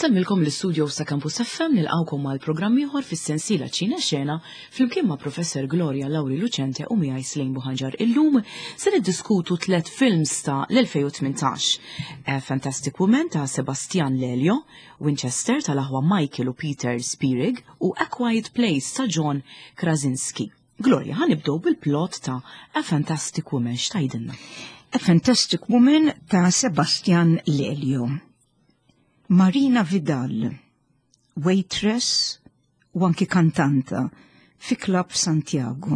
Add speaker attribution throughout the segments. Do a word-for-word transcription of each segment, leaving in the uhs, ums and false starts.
Speaker 1: Insellmilkom l-istudio sa' Campus F M, nilqgħukom mal-programm ieħor fis-sensiela Ċina Xena flimkien ma' Professor Gloria Lauri Lucente u miegħi Slejn Buħanġar. Illum se niddiskutu tliet films ta' l-elfejn u tmintax. A Fantastic Woman ta' Sebastian Lelio, Winchester tal-aħwa Michael u Peter Spierig u A Quiet Place ta' John Krasinski. Gloria, ħa nibdew bil-plot ta' A Fantastic Woman, x'tgħidilna?
Speaker 2: A Fantastic Woman ta' Sebastian Lelio. Marina Vidal, waitress u anki kantanta fi Club Santiago,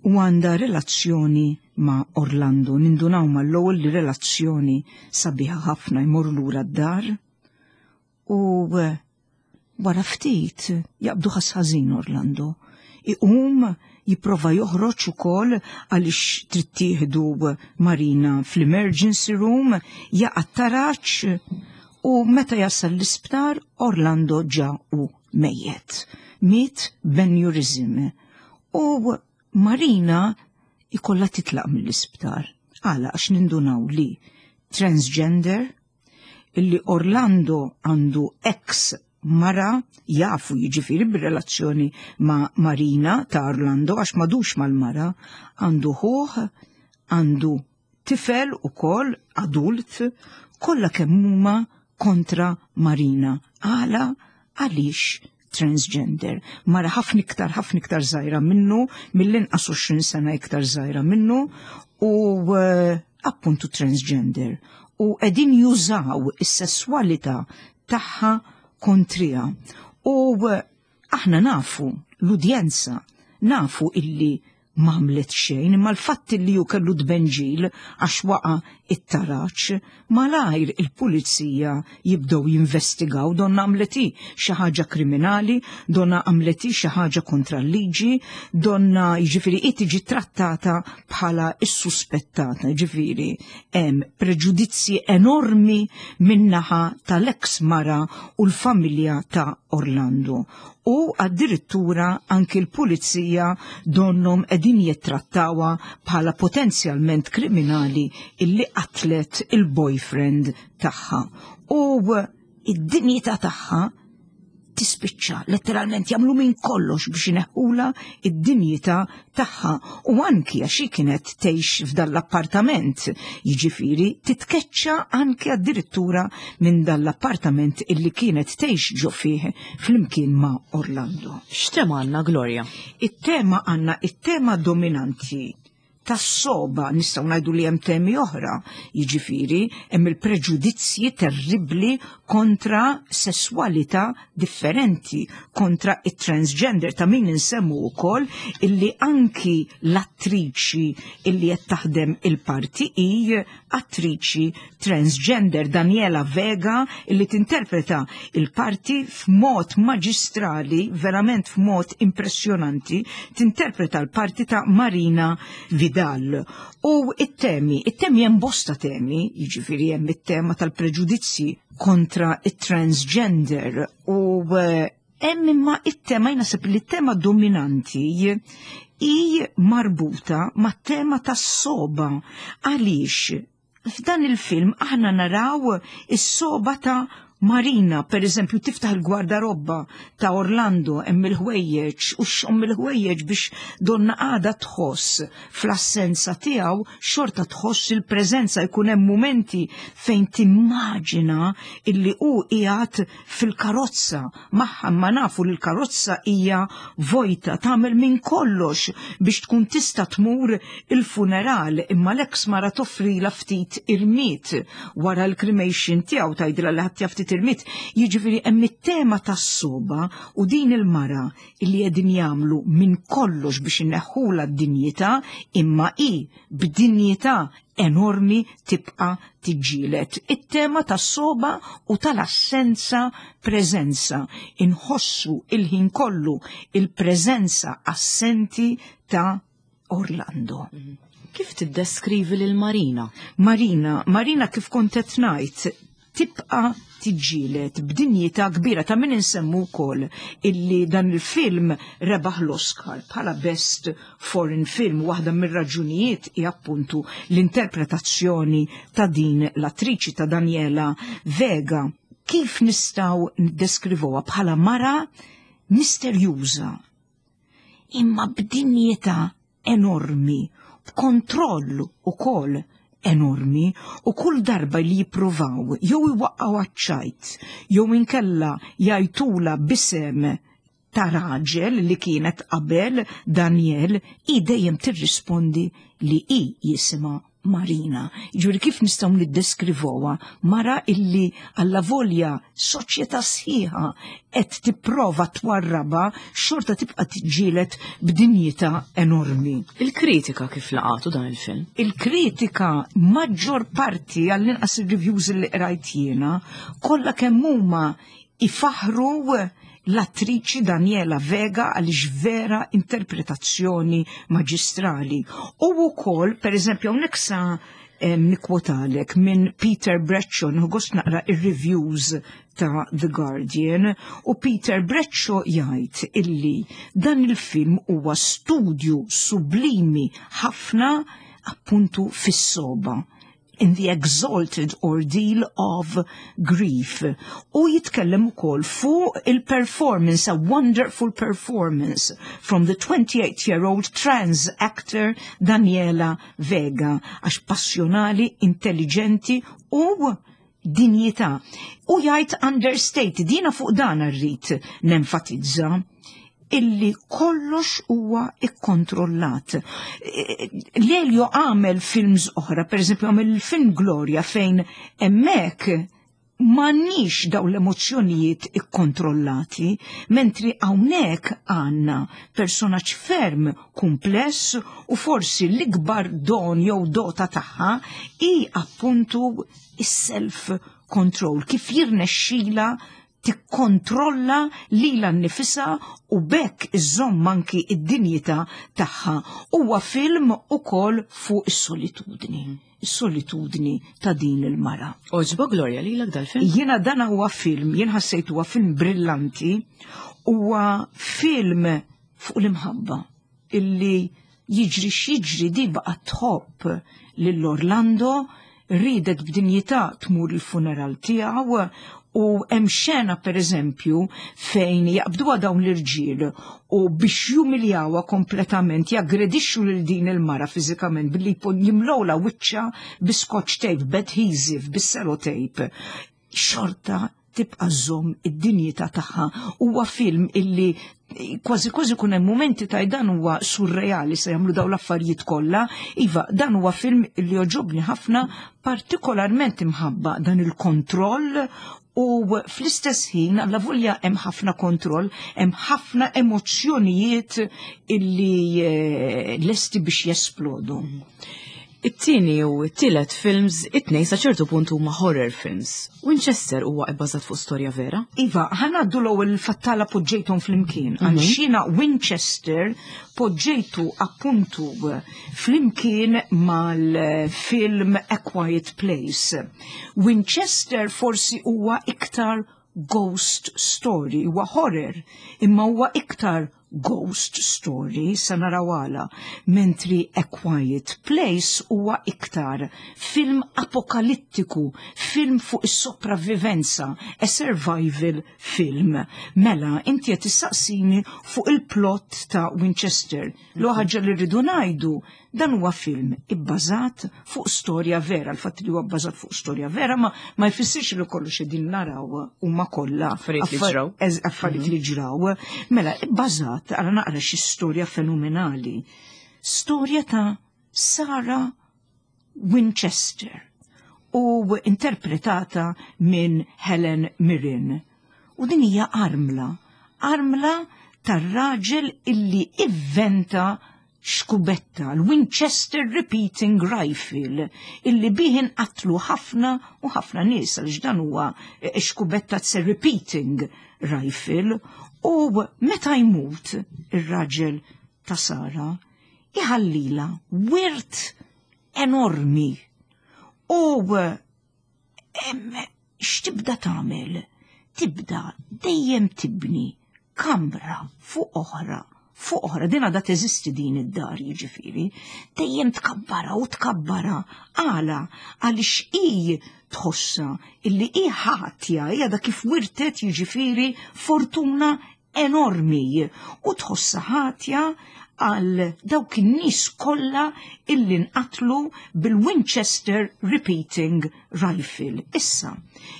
Speaker 2: u għandha relazzjoni ma' Orlando. Nindunaw mal-ewwel li relazzjoni sabiħa ħafna. Jmur lura d-dar u eh, wara ftit jaqbdu ħass ħażin Orlando. Iqum jipprova joħroġ ukoll għaliex trid tieħdu Marina fl-emergency room, jaqa' taraġ u meta jasal l-isptar Orlando ġa hu mejjet. Miet b'aneurysm. U Marina ikolla titlaq mill-isptar. Għala? Għax nindunaw li transgender, illi Orlando għandu ex mara, jafu jiġifieri bir-relazzjoni ma' Marina ta' Orlando għax m'għadux mal-mara, għandu ħuħ, għandu tifel ukoll adult, kollha kemm huma kontra Marina. Għala? Għaliex transgender. Mara ħafna iktar, ħafna iktar żgħira minnu, mill-inqas għoxrin sena iktar żgħira minnu, u uh, appuntu transgender. U qegħdin jużaw is-sesswalità tagħha kontrija. U uh, aħna nafu, l-udjenza, nafu illi m'għamlet xejn, imma l-fatt li ju kellu tbenġil għax waqa it-taraċ, malajr il-pulizija jibdew jinvestigaw, donna għamlet xi ħaġa kriminali, donna għamlet xi ħaġa kontra l-liġi, donna jiġifieri tiġi trattata bħala is-suspettata, jiġifieri hemm preġudizzji enormi min-naħa tal-ex mara u l-familja ta' Orlando, u addirittura anki l-pulizija donnom qegħdin jittrattawha bħala potenzjalment kriminali illi qatlet il-boyfriend tagħha. U id-dinjità tagħha tispiċċa, letteralment jagħmlu minn kollox biex ineħħula id-dinjità tagħha, u anki għax hi kienet tgħix f'dan l-appartament, jiġifieri titkeċċa anki addirittura minn dan l-appartament illi kienet tgħix ġo fih flimkien ma' Orlando.
Speaker 1: X'tema għandna, Gloria?
Speaker 2: It-tema, għandna it-tema dominanti tas-soba, nistgħu ngħidu li hemm temi oħra, jiġifieri hemm il-preġudizzji terribbli kontra sesswalità differenti, kontra it-transgender, ta' min insemmu wkoll illi anki l-attriċi illi qed taħdem il-parti hi attriċi transgender, Daniela Vega, illi tinterpreta il-parti f'mod maġistrali, verament f'mod impressjonanti, tinterpreta l-parti ta' Marina Vidal. U it-temi, it-temi hemm bosta temi, jiġifieri hemm it-tema tal-preġudizzji kontra it-transgender u eh, hemm imma it-tema, naħseb li t-tema dominanti hi marbuta mat-tema tas-soba. Għaliex f'dan il-film aħna naraw is-soba ta' Marina, per eżempju, tiftaħ il-gwardarobba ta' Orlando, hemm il-ħwejjeġ u xxomm il-ħwejjeġ biex donna għada tħoss fl-assenza tiegħu, xorta tħoss il-preżenza. Jkun hemm momenti fejn timmaġina illi hu qiegħed fil-karozza magħha, ma nafu li l-karozza hija vojta. Tagħmel minn kollox biex tkun tista' tmur il-funeral, imma l-ex mara toffrila ftit irmied wara l-cremation tiegħu, tgħidilha li ħadd ftit irmied. Jiġifieri hemm it-tema tas-soba u din il-mara illi qegħdin jagħmlu minn kollox biex inneħħula d-dinjità, imma hi b'dinjità enormi tibqa' tiġġieled. It-tema tas-soba u tal-assenza preżenza. Inħossu il-ħin kollu il-preżenza assenti ta' Orlando.
Speaker 1: Kif tiddeskrivi lil Marina?
Speaker 2: Marina, Marina, kif kont qed ngħid, tibqa' tiġġieled b'dinjità kbira. Ta' min insemmu wkoll illi dan il-film rebaħ l-Oscar bħala Best Foreign Film. Waħda mir-raġunijiet hi appuntu l-interpretazzjoni ta' din l-attriċi, ta' Daniela Vega. Kif nistgħu niddeskrivuha? Bħala mara misterjuża, imma b'dinjità enormi, b'kontroll ukoll enormi, u kull darba li jippruvaw jew iwaqqgħu għaċ-ċajt jew inkella jgħajtulha b'isem ta' raġel li kienet qabel Daniel, i dejjem tirrispondi li i jisimha Marina. Ġuri kif nistgħu niddeskrivuha? Mara illi allavolja soċjetà sħiħa qed tipprova twarraba, xorta tibqa' tiġġieled b'dinjità enormi.
Speaker 1: Il-kritika kif laqatu dan il-film?
Speaker 2: Il-kritika, maġġor parti, għall-inqas il-reviews li qrajt jiena, kollha kemm huma ifaħru l-attriċi Daniela Vega għaliex vera interpretazzjoni maġistrali. U wkoll, per eżempju, hawnhekk sa nikkwotalek minn Peter Bradshaw, gost naqra ir-reviews ta' The Guardian, u Peter Bradshaw jgħid illi dan il-film huwa studju sublimi ħafna appuntu fis-soba, in the exalted ordeal of grief. U jitkellem ukoll fuq il-performance, a wonderful performance from the twenty-eight-year-old trans actor Daniela Vega, għax passjonali, intelligenti u dinjità. U jgħid understated, dina fuq dan rrid nenfatizza illi kollox huwa ikkontrollat. Lelio għamel films oħra, per eżempju għamel il-film Gloria, fejn hemmhekk m'għandniex daw l-emozzjonijiet ikkontrollati, mentri hawnhekk għandna personaġġ ferm kumpless u forsi l-ikbar don jew dota tagħha i appuntu is-self control, kif jirnexxila tikkontrolla lilha nnifisha u b'hekk iżżomm anki id-dinjità tagħha. Huwa film ukoll fuq is-solitudni. Is-solitudni ta' din il-mara.
Speaker 1: Għoġbok, Gloria, lilek dal-film?
Speaker 2: Jiena dan huwa film, jien ħassejt huwa film brillanti, huwa film fuq l-imħabba illi jiġri x'jiġri di baqgħet tħobb lil Orlando, ridet b'dinjità tmur il-funeral tiegħu, u hemm xena, per eżempju, fejn jaqbduha dawn l-irġiel u biex jumiljawha kompletament jaggredixxu lil din il-mara fiżikament billi jimlowla wiċċha bi scotch tape, b'adhesive, bis-sellotape. Xorta tibqa' żomm id-dinjità tagħha. Huwa film illi kważi kważi kun hemm momenti ta' dan huwa surreali, se jagħmlu dawn l-affarijiet kollha. Iva, dan huwa film illi jogħġobni ħafna, partikolarment imħabba dan il-kontroll u fl-istess ħin, allavolja hemm ħafna kontroll, hemm ħafna emozzjonijiet illi eh, lesti biex jesplodu.
Speaker 1: It-tieni u t-tielet films, it-tnejn sa ċertu punt huma horror films. Winchester huwa ibbażat fuq storja vera?
Speaker 2: Iva, ħa ngħaddu l-ewwel fattala poġġejthom flimkien. Mm -hmm. Jiena Winchester poġġejtu appuntu flimkien mal-film A Quiet Place. Winchester forsi huwa iktar ghost story, huwa horror, imma huwa iktar ghost story, sa naraw għala, mentri A Quiet Place huwa iktar film apokalittiku, film fuq is-sopravvivenza, a survival film. Mela, inti qed tistaqsini fuq il-plot ta' Winchester. L ħaġa li rridu ngħidu, dan huwa film ibbażat fuq storja vera. Il-fatt li huwa bbażat fuq storja vera ma, ma jfissirx li kollox qegħdin naraw huma kollha
Speaker 1: affarijiet li ġraw.
Speaker 2: Affarijiet li ġraw. Mela, ibbażat, għara naqra xi storja fenomenali. Storja ta' Sarah Winchester u interpretata minn Helen Mirren. U din hija armla, armla tar-raġel illi ivventa xkubetta, l-Winchester Repeating Rifle, illi bih inqatlu ħafna u ħafna nies, għaliex dan huwa xkubetta, it's a repeating rifle, u meta jmut ir-raġel ta' Sara, iħallila wirt enormi. U x'tibda tagħmel? Tibda dejjem tibni kamra fuq oħra, fuq oħra, din għadha teżisti din id-dar jiġifieri, dejjem tkabbara u tkabbara. Għala, għaliex hi tħossa illi hi ħatja, hija da kif wirtet jiġifieri fortuna enormi u tħossa ħatja għal dawk in-nies kollha illi nqatlu bil-Winchester Repeating Rifle. Issa,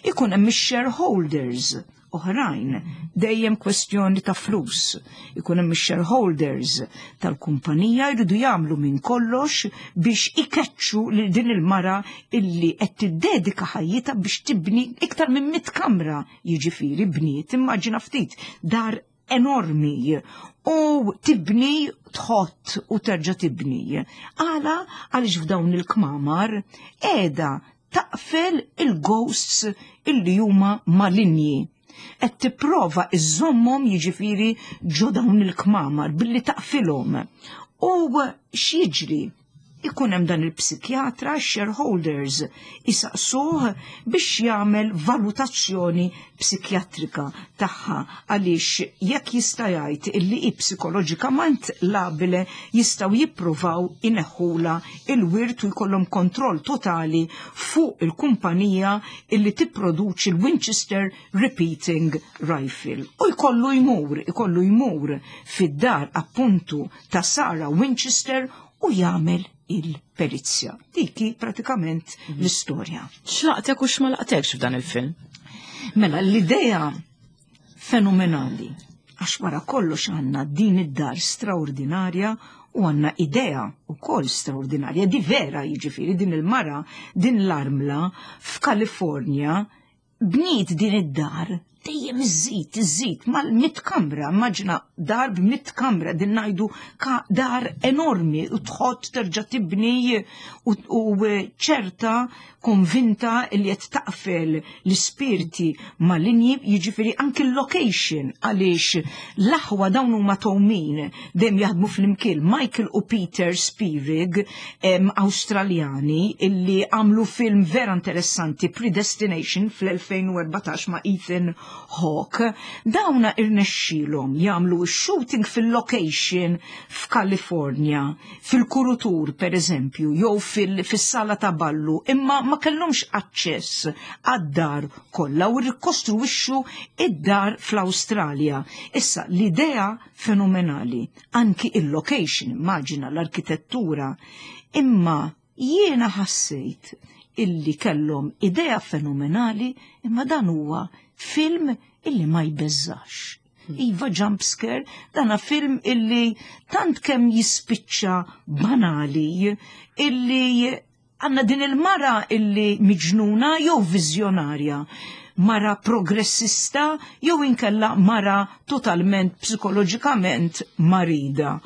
Speaker 2: ikun hemm ix-shareholders oħrajn, dejjem kwestjoni ta' flus. Ikun hemm ix-shareholders tal-kumpanija jridu jagħmlu minn kollox biex ikeċċu lil din il-mara illi qed tiddedika ħajjitha biex tibni iktar minn mitt kamra, jiġifieri bniet, immaġina ftit, dar enormi u tibni tħott u terġa' tibni. Għala għaliex f'dawn il-kmamar qiegħda taqfel il-ghosts illi huma malinji. Qed tipprova iżommhom jiġifieri ġo dawn il-kmamar billi taqfilhom. U x'jiġri? Ikun hemm dan il-psikjatra, shareholders, isaqsuh biex jagħmel valutazzjoni psikjatrika tagħha għaliex jekk jista' jgħid illi hi psikoloġikament labile jistgħu jippruvaw ineħħula il-wirt u jkollhom kontroll totali fuq il-kumpanija illi tipproduċi l-Winchester Repeating Rifle. U jkollu jmur, ikollu jmur fid-dar appuntu ta' Sarah Winchester u jagħmel il-perizja. Diki pratikament l-istorja.
Speaker 1: X'laqtek u x'ma laqtekx f'dan il-film?
Speaker 2: Mela, l-idea fenomenali, għax wara kollox għandna din id-dar straordinarja u għandna idea u koll straordinarja, di vera jiġifieri din il-mara, din l-armla f'Kalifornja bniet din id-dar dejjem iżżid, iżżid, mal-mitt kamra, immaġina dar b'mitt kamra, din ngħidu ka dar enormi u tħott terġa' tibni u, u ċerta konvinta li qed taqfel l-ispirti malinji, jiġifieri anki l-location għaliex l-aħwa dawn huma towmin dejjem jaħdmu flimkien Michael u Peter Spierig, em, Awstraljani, illi għamlu film vera interessanti Predestination fl-elfejn u erbatax ma' Ethan Hawke. Dawna irnexxielhom jagħmlu shooting fil-location f'Kalifornja, fil-kurutur per eżempju, jew fil-, fis-sala ta' ballu, imma ma kellhomx aċċess għad-dar kollha u rikostruwixxu id-dar fl-Awstralja. Issa l-idea fenomenali, anki il-location, immaġina l-arkitettura, imma jiena ħassejt illi kellhom idea fenomenali, imma dan huwa film illi ma jbeżżax. Iva jump scare, dana film illi tant kemm jispiċċa banali, illi għanna din il-mara illi miġnuna jew viżjonarja, mara progressista jew inkella mara totalment psikoloġikament marida.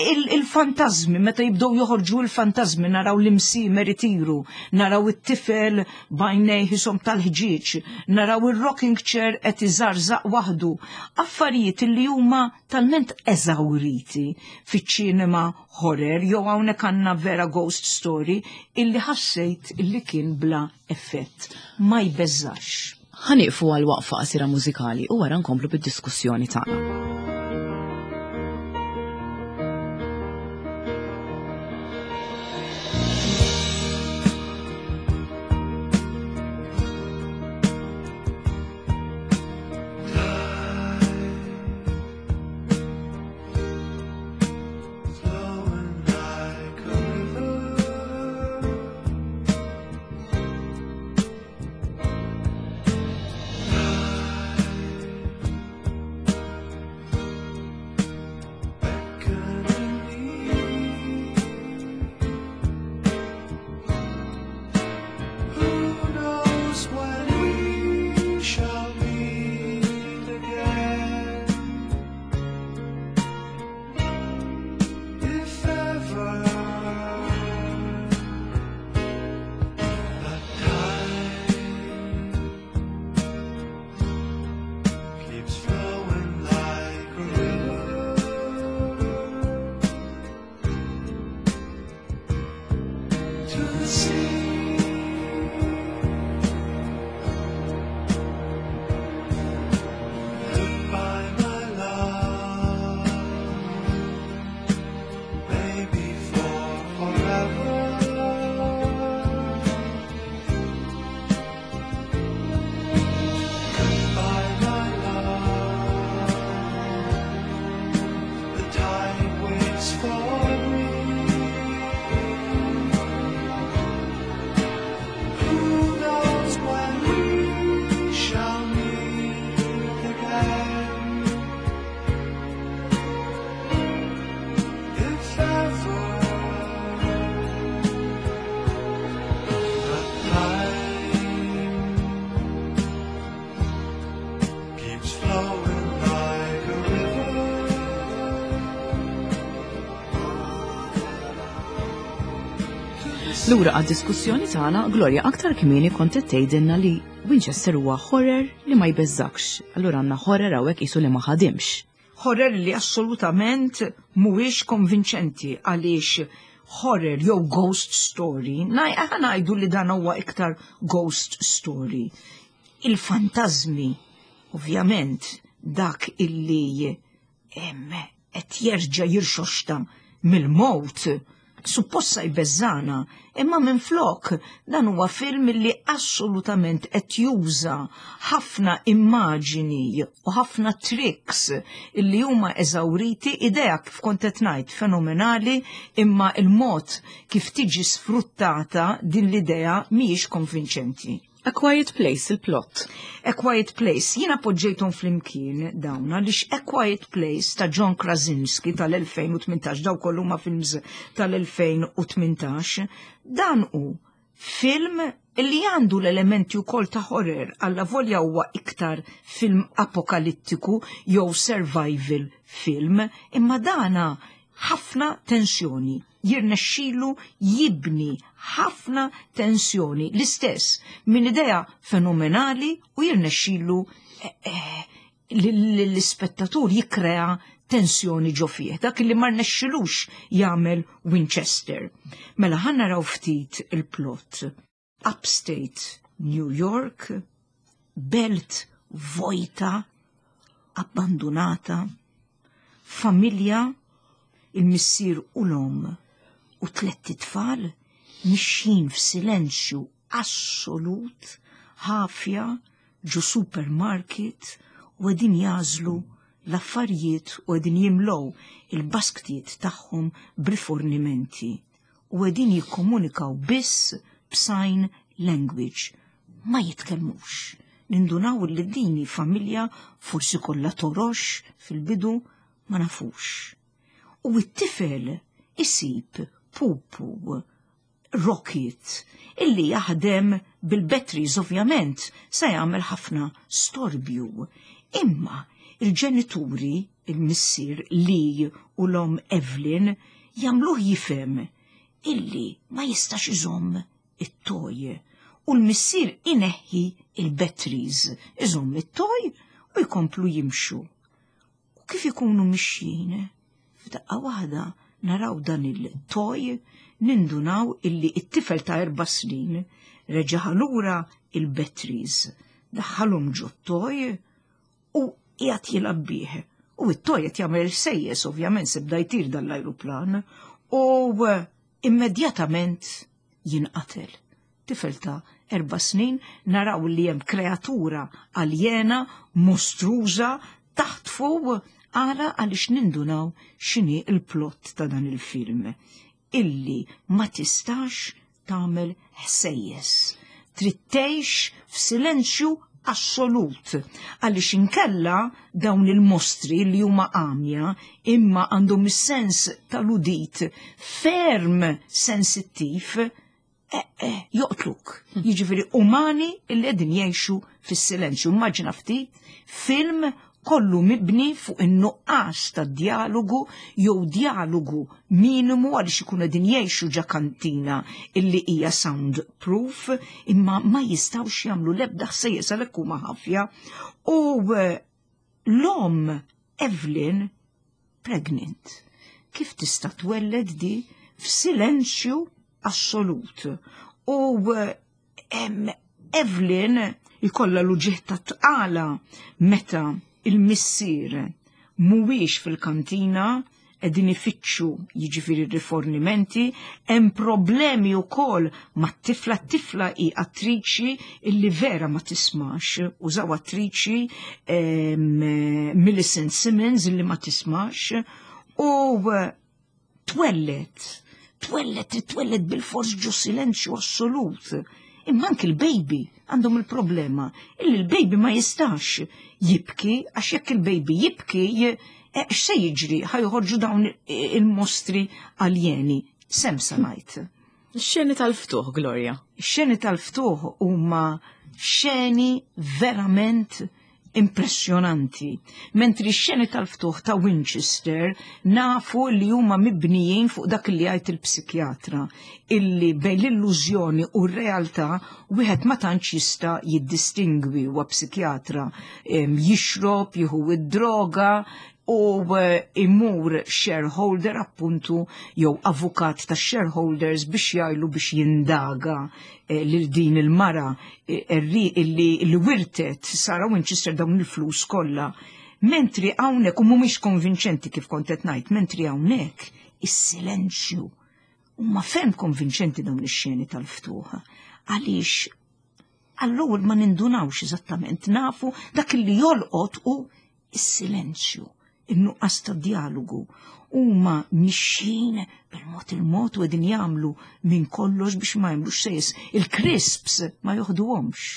Speaker 2: Il-fantazmi, meta jibdew joħorġu il-fantazmi, naraw l-imsimer itiru, naraw it-tifel bajnej ħisom tal-ħġieġ, naraw il-rocking chair qed iżarżaq waħdu, affarijiet li huma talment eżawriti fiċ-ċinema horror jew hawnhekk għandna vera ghost story illi ħassejt illi kien bla effett, ma jbeżżax.
Speaker 1: Ħanieqfu għal waqfa qasira mużikali u wara nkomplu bid-diskussjoni tagħna.
Speaker 3: It's flowing like a river.
Speaker 1: Lura għad-diskussjoni tagħna, Gloria, aktar kmieni kont qed tgħidilna li Winchester huwa horror li ma jbeżżakx. Allura għandna horror hawnhekk qisu li ma ħadimx.
Speaker 2: Horror li assolutament mhuwiex konvinċenti, għaliex horror jew ghost story, ħa ngħidu li dan huwa iktar ghost story. Il-fantażmi, ovvjament, dak illi qed jerġa' jirxoxta mill-mowt, supposta jbeżżana, imma minn flok dan huwa film li assolutament qed juża ħafna immaġini u ħafna tricks illi huma eżawriti, idea kif kont qed ngħid fenomenali, imma il-mod kif tiġi sfruttata din l-idea mhijiex konvinċenti.
Speaker 1: A Quiet Place, il-plot.
Speaker 2: A Quiet Place, jiena poġġejthom flimkien dawn għaliex A Quiet Place ta' John Krasinski tal-elfejn u tmintax, daw kollu ma' films tal-elfejn u tmintax, dan hu film li għandu l-elementi wkoll ta' horror, alla volja huwa iktar film apokalittiku jew survival film, imma dana ħafna tensjoni. Jirnexxilu jibni ħafna tensjoni, l-istess minn idea fenomenali, u jirnexxilu, eh, eh, l-ispettatur jikkrea tensjoni ġo fih, dak li ma rnexxilux jagħmel Winchester. Mela ħa naraw ftit il-plot. Upstate New York, belt vojta, abbandonata, familja, il-missier u l-om u tlett itfal mixjin f'silenzju assolut, ħafja, ġo supermarket, u għedin jażlu l-affarijiet u għedin jimlow il-basktijiet tagħhom b'rifornimenti u għedin jikkomunikaw biss b'sign language, ma jitkellmux. Nindunaw li dini familja forsi kollha torox fil-bidu, ma nafux. U t-tifel isib pupu rocket illi jaħdem bil-batteries, ovvjament se jagħmel ħafna storbju. Imma il-ġenituri, il-missier Lee u l-om Evelyn, jagħmluh jifhem illi ma jistax iżomm it-toj. U l-missier ineħħi il-batteries, iżomm it-toj u jkomplu jimxu. U kif ikunu mixjin, f'daqqa waħda naraw dan il-toj, nindunaw illi it-tifel ta' erba' snin reġa' lura il-batteries, daħħalhom ġo t-toj u qiegħed jilgħab bih. U it-toj qed jagħmel sejjes, ovvjament se bda jtir dan l-ajruplan, u immedjatament jinqatel. Tifel ta' erba' snin, naraw li hemm kreatura aljena, mostruża, taħtfu, għala għaliex nindunaw x'inhi il-plot ta' dan il-film, illi ma tistax tagħmel ħsejjes. Trid tgħix f'silenzju assolut, għaliex inkella dawn il-mostri li huma għamja imma għandhom is-sens tal-udit ferm sensittiv, eh, eh, joqtluk. Jiġifieri umani illi qegħdin jgħixu fis-silenzju. Immaġina ftit film kollu mibni fuq in-nuqqas ta' dialogu jew dialogu minimu, għaliex ikunu qegħdin jgħixu ġa kantina illi hija soundproof, imma ma jistgħux jagħmlu l-ebda ħsejjes għalhekk huma ħafja. U, eh, l-om Evelyn pregnant. Kif tista' twelled di f'silenzju assolut? U, eh, em, Evelyn ikollha l-uġigħ ta' tqala meta il-missier mhuwiex fil-kantina, qegħdin ifittxu jiġifieri rifornimenti, hemm problemi wkoll mat-tifla, t-tifla hi attriċi illi vera ma tismax, użaw attriċi, em, Millicent Simmons illi ma tismax, u twellet, twellet, twellet bil-fors ġo silenzju assolut. Imma anki l-baby għandhom il-problema illi l-baby ma jistax jibki, għax jekk il-baby jibki, je-, eh, x'se jiġri? Ħajħorġu dawn il-mostri aljeni. Sem samajt.
Speaker 1: Xeni tal-ftuħ, Gloria?
Speaker 2: Xeni tal-ftuħ huma xeni verament Impressjonanti. Mentri x-xeni tal-ftuħ ta' Winchester nafu li huma mibnijin fuq dak li jgħid il-psikjatra, illi bejn l-illużjoni u r-realtà wieħed ma tantx jista' jiddistingwi. Huwa psikjatra, jixrob, jieħu id-droga u eh, imur shareholder, appuntu, jew avukat ta' shareholders biex jgħidlu biex jindaga eh, lil din il-mara eh, illi li wirtet Sarah Winchester dawn il-flus kollha. Mentri hawnhekk, u mhumiex konvinċenti kif kont qed ngħid, mentri hawnhekk is-silenzju huma ferm konvinċenti dawn ix-xeni tal-ftuħ. Għaliex għall-ewwel ma nindunawx eżattament, nafu dak li jolqot u is-silenzju, in-nuqqas ta' dialogu. Huma mixjin bil-mod il-mod u qegħdin jagħmlu minn kollox biex ma jagħmlux sejs. Il-crisps ma joħduhomx.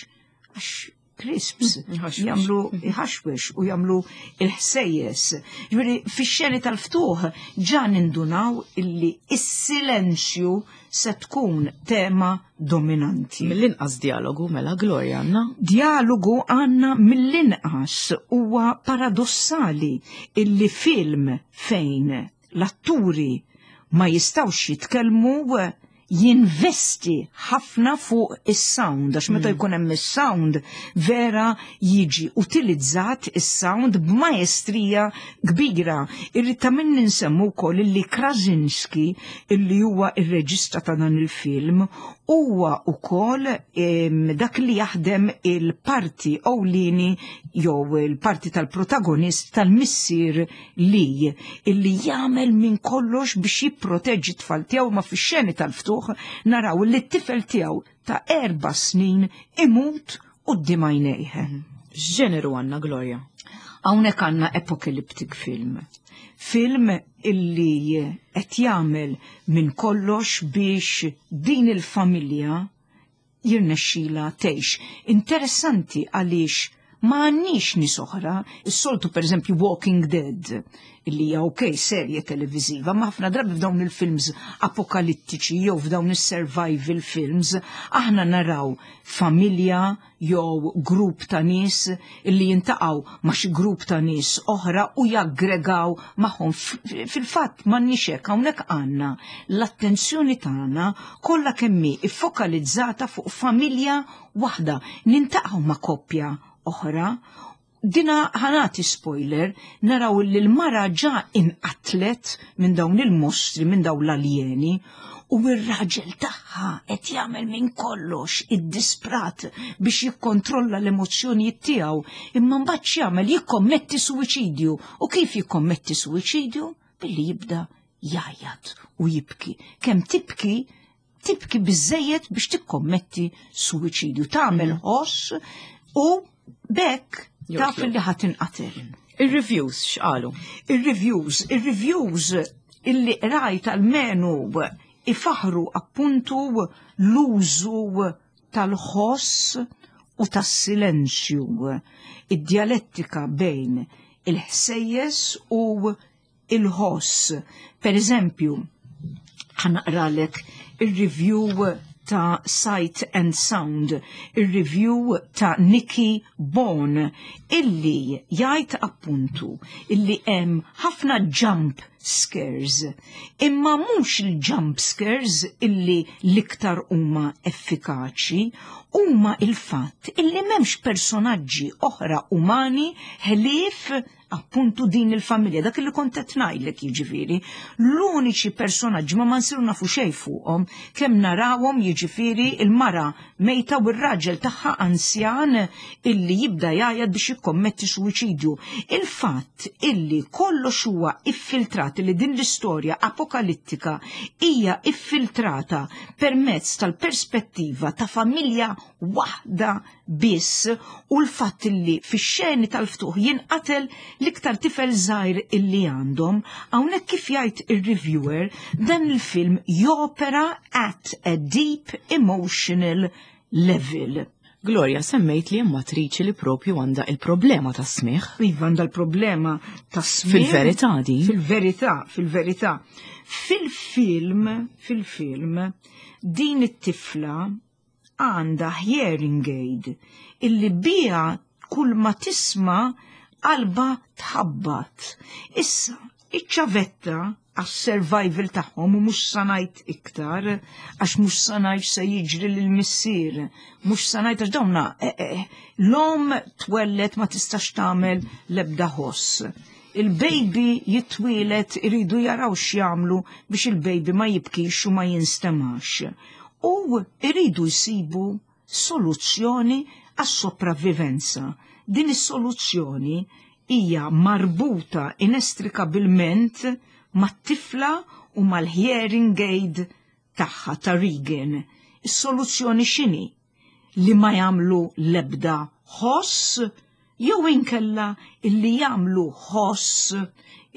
Speaker 2: Għax crisps jagħmlu iħaxwex u jagħmlu il-ħsejjes. Ġifieri fix-xeni tal-ftuħ ġa nindunaw illi is-silenzju se tkun tema dominanti.
Speaker 1: Mill-inqas dialogu mela, Gloria, għandna?
Speaker 2: Dialogu għandna mill-inqas. Huwa paradossali illi film fejn l-atturi ma jistawx jitkellmu jinvesti ħafna fuq is-sound, għax meta mm. jkun hemm is-sound vera jiġi utilizzat is-sound b'maestrija kbira. Irrid ta' min ninsemmu wkoll illi Krasinski, illi huwa ir-reġista ta' dan il-film, huwa wkoll dak li jaħdem il-parti ewlieni jew il-parti tal-protagonist tal-missier li illi jagħmel minn kollox biex jipproteġġi t-tfal tiegħu, ma fix-xeni tal-ftuħ naraw li t-tifel tiegħu ta' erba' snin imut quddiem għajnejh.
Speaker 1: X'ġeneru għandna, Gloria?
Speaker 2: Hawnhekk għandna apocalyptic film. Film illi qed jagħmel minn kollox biex din il-familja jirnexxila tgħix. Interessanti għaliex ma għandniex nies oħra, is-soltu, per eżempju, Walking Dead, illi hija ok serje televiżiva, ma ħafna drabi f'dawn il-films apokalittiċi jew f'dawn is-survival films aħna naraw familja jew grupp ta' nies illi jintaqgħu ma' xi grupp ta' nies oħra u jaggregaw magħhom. Fil-fatt m'għandniex hekk, hawnhekk għandna l-attenzjoni tagħna kollha kemm hi iffokalizzata fuq familja waħda. Nintaqgħu ma' koppja oħra. Dina ħa nagħti spoiler, naraw li l-mara ġa inqatlet minn dawn il-mostri, minn dawn l-aljeni, u r-raġel tagħha qed jagħmel minn kollox id-disprat biex jikkontrolla l-emozzjonijiet tiegħu, imma mbagħad x'jagħmel? Jikkommetti suwiċidju. U kif jikkommetti suwiċidju? Billi jibda jgħajjat u jibki. Kemm tibki, tibki biżejjed biex tikkommetti suwiċidju. Tagħmel ħoss u bekk taf li ħa tinqatel.
Speaker 1: Il-reviews x'qalu?
Speaker 2: Il-reviews, il-reviews illi rajt almenu ifaħru appuntu l-użu tal-ħoss u tas-silenzju, id-dialettika bejn il-ħsejjes u il-ħoss. Per eżempju, ħa naqralek il-review ta' Sight and Sound, il-review ta' Nikki Bon, illi jgħid appuntu illi hemm ħafna jump scares, imma mhux il-jump scares illi l-iktar huma effikaċi, huma il-fatt illi m'hemmx personaġġi oħra umani ħlief appuntu din il-familja, dak li kont qed ngħidlek jiġifieri. L-uniċi personaġġi ma ma nsiru nafu xejn fuqhom, kemm narawhom jiġifieri il-mara mejta u r-raġel tagħha anzjan illi jibda jgħajjat biex jikkommetti suwiċidju. Il-fatt illi kollox huwa iffiltrat, illi din l-istorja apokalittika hija iffiltrata permezz tal-perspettiva ta' familja waħda biss u l-fatt illi fix-xeni tal-ftuħ jinqatel l-iktar tifel żgħir illi għandhom, hawnhekk kif jgħid ir-reviewer, dan il-film jopera at a deep emotional level.
Speaker 1: Gloria, semmejt li hemm attriċi li propju għandha il-problema ta' smigħ.
Speaker 2: Iva, għandha l-problema ta' smigħ.
Speaker 1: Fil-verità din.
Speaker 2: Fil-verità, fil-verità. Fil-film, fil-film, din it-tifla għandha hearing aid illi bija Kull ma tisma' qalba tħabbat. Issa, iċ-ċavetta għas-survival tagħhom, u mhux sa ngħid iktar, għax mhux sa ngħid se jiġri lil missier, mhux sa ngħid għax dawna eh, eh, l-omm twellet, ma tistax tagħmel l-ebda ħoss. Il-baby jitwielet, iridu jaraw x'jagħmlu biex il-baby ma jibkix u ma jinstemax. U iridu jsibu soluzzjoni għas-sopravvivenza. Din is-soluzzjoni hija marbuta inestrikabilment mat-tifla u mal-hearing aid tagħha ta' Regan. Is-soluzzjoni x'inhi? Li ma jagħmlu l-ebda ħoss jew inkella illi jagħmlu ħoss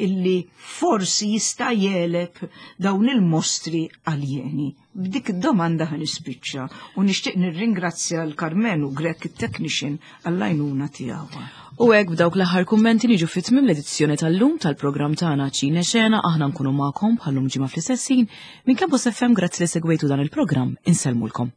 Speaker 2: illi forsi jista' jegħleb dawn il-mostri aljeni? B'dik id-domanda ħa nispiċċa u nixtieq nirringrazzja l-Karmenu Grek, it-technician, għall-għajnuna tiegħu.
Speaker 1: U hekk, b'dawk l-aħħar kummenti, niġu fi tmiem l-edizzjoni tal-lum tal-programm tagħna Ċine Xena. Aħna nkunu magħkom bħallum ġimgħa fl-istess ħin minn Campus F M. Grazzi li segwejtu dan il-programm, insellmulkom.